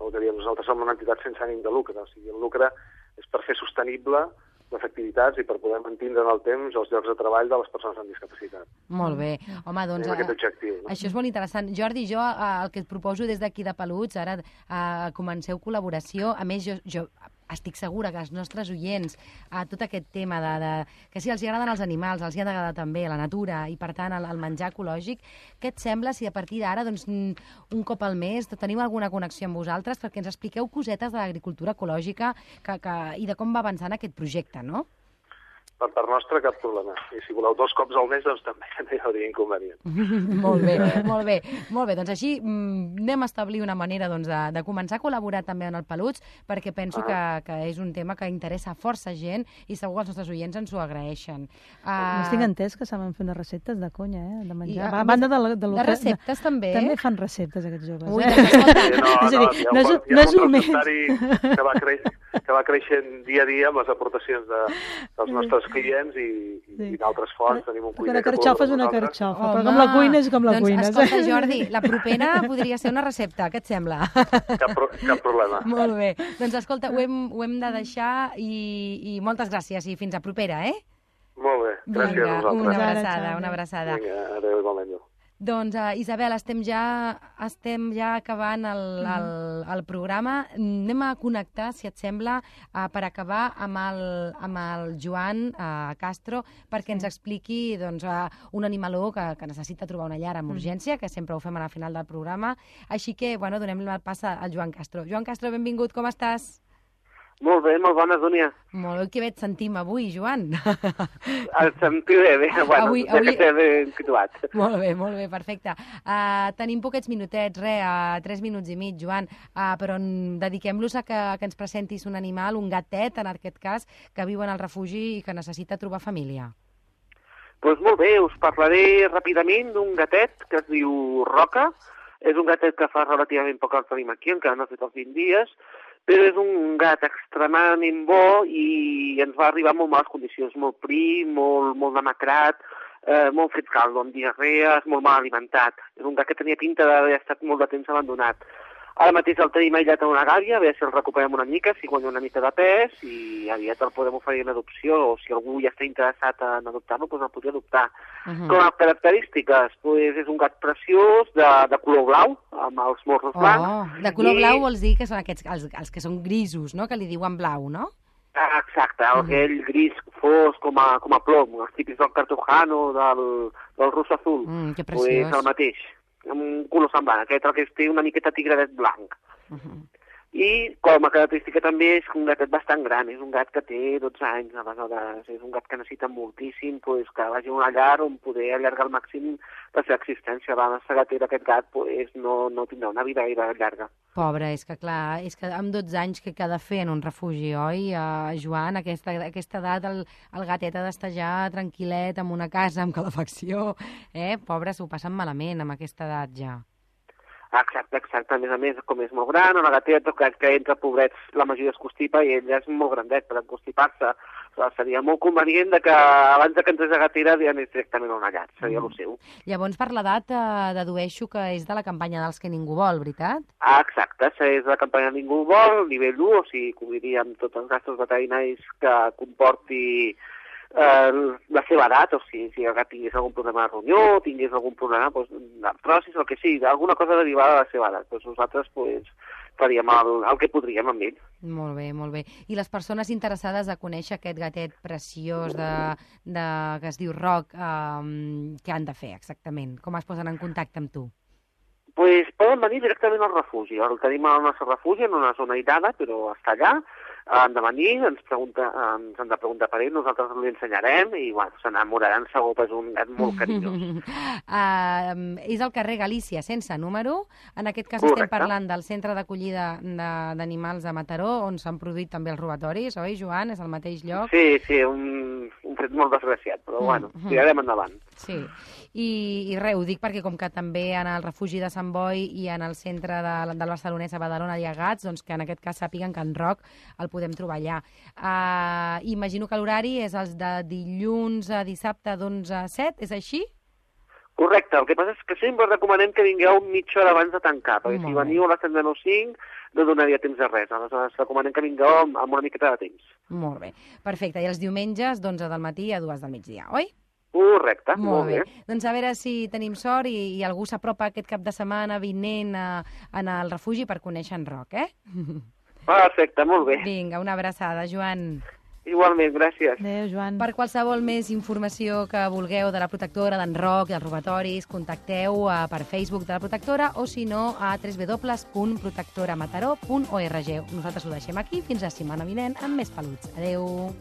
el que diem, nosaltres som una entitat sense ànim de lucre, o sigui, el lucre és per fer sostenible les activitats i per poder mantenir en el temps els llocs de treball de les persones amb discapacitat. Molt bé. Home, doncs... Tenim aquest objectiu. No? Això és molt interessant. Jordi, jo el que et proposo des d'aquí de Peluts, ara comenceu col·laboració. A més, jo estic segura que els nostres oients, tot aquest tema que si els agraden els animals, els hi ha d'agradar també la natura i, per tant, el menjar ecològic, què et sembla si a partir d'ara, doncs, un cop al mes, teniu alguna connexió amb vosaltres perquè ens expliqueu cosetes de l'agricultura ecològica i de com va avançant aquest projecte, no? Per part nostra, cap problema. I si voleu 2 cops al mes, doncs també no hi hauria inconvenient. Molt bé, molt bé. Molt bé, doncs així anem a establir una manera de començar a col·laborar també en el Peluts, perquè penso que és un tema que interessa força gent i segur que els nostres oients ens ho agraeixen. No estic entès que saben fer unes receptes de conya, de menjar. A banda de receptes, també. També fan receptes, aquests joves. Ui, escolta. És a dir, no és un mes. Que va creixent dia a dia amb les aportacions dels nostres clients i d'altres fonts. Tenim un cuiner una carxofa és una carxofa, però com la cuina és com la cuina. Doncs escolta, Jordi, la propera podria ser una recepta, què et sembla? Cap problema. Molt bé. Doncs escolta, ho hem de deixar i moltes gràcies i fins a propera, eh? Molt bé, gràcies a vosaltres. Una abraçada. Vinga, adéu, igualment. Doncs, Isabel, estem ja acabant el programa. Anem a connectar, si et sembla, per acabar amb el Joan Castro, perquè ens expliqui un animaló que necessita trobar una llar amb urgència, que sempre ho fem a la final del programa. Així que, donem el pas al Joan Castro. Joan Castro, benvingut, com estàs? Molt bé, molt bona, Dúnia. Molt bé, que bé et sentim avui, Joan. El sentiré bé, avui... ja que t'he ben situat. Molt bé, perfecte. Tenim poquets minutets, 3 minuts i mig, Joan, però dediquem-los a que ens presentis un animal, un gatet, en aquest cas, que viu en el refugi i que necessita trobar família. Doncs molt bé, us parlaré ràpidament d'un gatet que es diu Roca. És un gatet que fa relativament poc que el tenim aquí, encara no ha fet els 20 dies, però és un gat extremadament bo i ens va arribar en molt males condicions, molt prim, molt demacrat, molt fet caldo, amb diarrees, molt mal alimentat. És un gat que tenia pinta d'haver estat molt de temps abandonat. Ara mateix el tenim aïllat en una gàbia, a veure si el recuperem una mica, si guanya una mica de pes, i aviat el podem oferir en adopció, o si algú ja està interessat en adoptar-lo, doncs el podria adoptar. Com a característiques, és un gat preciós, de color blau, amb els morros blancs. De color blau vols dir que són aquests, els que són grisos, no?, que li diuen blau, no? Exacte, aquell gris fosc com a plom, els típics del cartujano, del russo azul. Que preciós. Pues el mateix, amb un color semblant, aquest el que té una miqueta tigradet blanc. I com a característica també és un gatet bastant gran, és un gat que té 12 anys, aleshores és un gat que necessita moltíssim que vagi a una llar on poder allargar al màxim la seva existència. La nostra gatera, aquest gat, no tindrà una vida gaire llarga. Pobre, és que clar, és que amb 12 anys què ha de fer en un refugi, oi? Joan, a aquesta edat el gatet ha d'estar ja tranquil·let en una casa amb calefacció, Pobre, s'ho passen malament amb aquesta edat ja. Exacte. A més, com és molt gran, una gateta que entra, pobrets, la majoria es constipa i ell és molt grandet per constipar-se. Seria molt convenient que abans que entrés a gatera anés directament a una llar, seria el seu. Llavors, per l'edat, dedueixo que és de la campanya dels que ningú vol, veritat? Exacte, és de la campanya ningú vol, nivell 1, o sigui, cobriríem tots els gastos veterinaris que comporti la seva edat, o sigui, si el gat tingués algun problema de ronyó, tingués algun problema d'artrosis, el que sigui, alguna cosa derivada de la seva edat. Nosaltres faríem el que podríem amb ell. Molt bé. I les persones interessades a conèixer aquest gatet preciós que es diu Roc, què han de fer exactament? Com es posen en contacte amb tu? Poden venir directament al refugi. El tenim al nostre refugi, en una zona aïllada, però està allà. Han de venir, ens han de preguntar per ell, nosaltres li ensenyarem i s'enamoraran segur, és un gat molt carinyós. És al carrer Galícia, sense número. En aquest cas Correcte. Estem parlant del centre d'acollida d'animals de Mataró, on s'han produït també els robatoris, oi, Joan? És al mateix lloc? Sí, un fet molt desgraciat, però tirarem endavant. Sí, i res, ho dic perquè com que també en el refugi de Sant Boi i en el centre del Barcelonès a Badalona hi ha gats, doncs que en aquest cas sàpiguen que en Roc el podem trobar allà. Imagino que l'horari és els de dilluns a dissabte d'11 a 7, és així? Correcte, el que passa és que sempre recomanem que vingueu mitja hora abans de tancar, perquè si veniu a les 7:05 no donaria temps de res, aleshores recomanem que vingueu amb una miqueta de temps. Molt bé, perfecte. I els diumenges d'11 del matí a 2 del migdia, oi? Correcte, molt bé. Doncs a veure si tenim sort i algú s'apropa aquest cap de setmana vinent en el refugi per conèixer en Roc, Perfecte, molt bé. Vinga, una abraçada, Joan. Igualment, gràcies. Adéu, Joan. Per qualsevol més informació que vulgueu de la protectora, d'en Roc i els robatoris, contacteu per Facebook de la protectora o, si no, a www.protectoramataró.org. Nosaltres ho deixem aquí fins la setmana vinent amb més peluts. Adéu.